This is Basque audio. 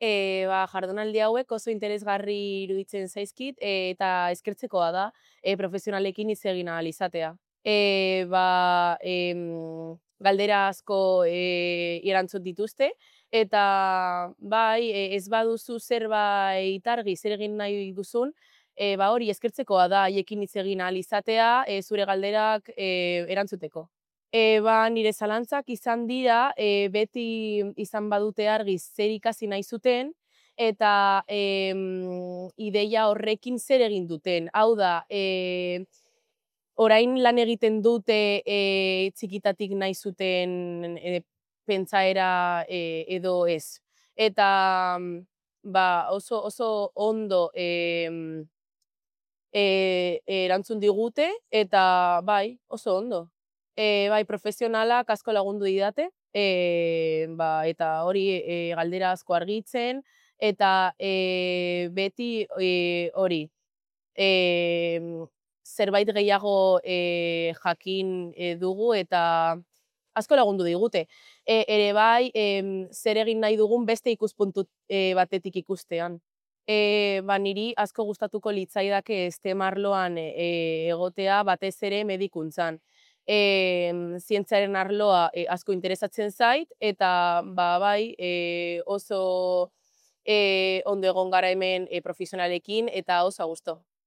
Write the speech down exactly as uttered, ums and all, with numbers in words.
E, ba, jardunaldi hauek oso interesgarri iruditzen zaizkit e, eta eskertzekoa da e, profesionalekin hitz egin ahal izatea. E, ba, em, galdera asko e, erantzun dituzte eta bai, e, ez baduzu zerbait argi zer egin nahi duzun, e, ba, hori eskertzekoa da haiekin hitz egin ahal izatea e, zure galderak e, erantzuteko. E, ba, nire zalantzak izan dira, e, beti izan badute argi zer ikasi nahi zuten, eta em, ideia horrekin zer egin duten. Hau da, e, orain lan egiten dute e, txikitatik nahi zuten e, pentsaera e, edo ez. Eta ba, oso, oso ondo em, e, erantzun digute, eta bai, oso ondo. E, bai, profesionalak asko lagundu didate, e, ba, eta hori e, galdera asko argitzen, eta e, beti e, hori, e, zerbait gehiago e, jakin e, dugu, eta asko lagundu digute. E, ere bai, em, zer egin nahi dugun beste ikuspuntu e, batetik ikustean. E, ba, niri asko gustatuko litzaidake STEM arloan e, egotea batez ere medikuntzan. E, zientziaren arloa e, asko interesatzen zait, eta ba, bai, e, oso e, ondo egon gara hemen e, profesionalekin, eta oso a gusto.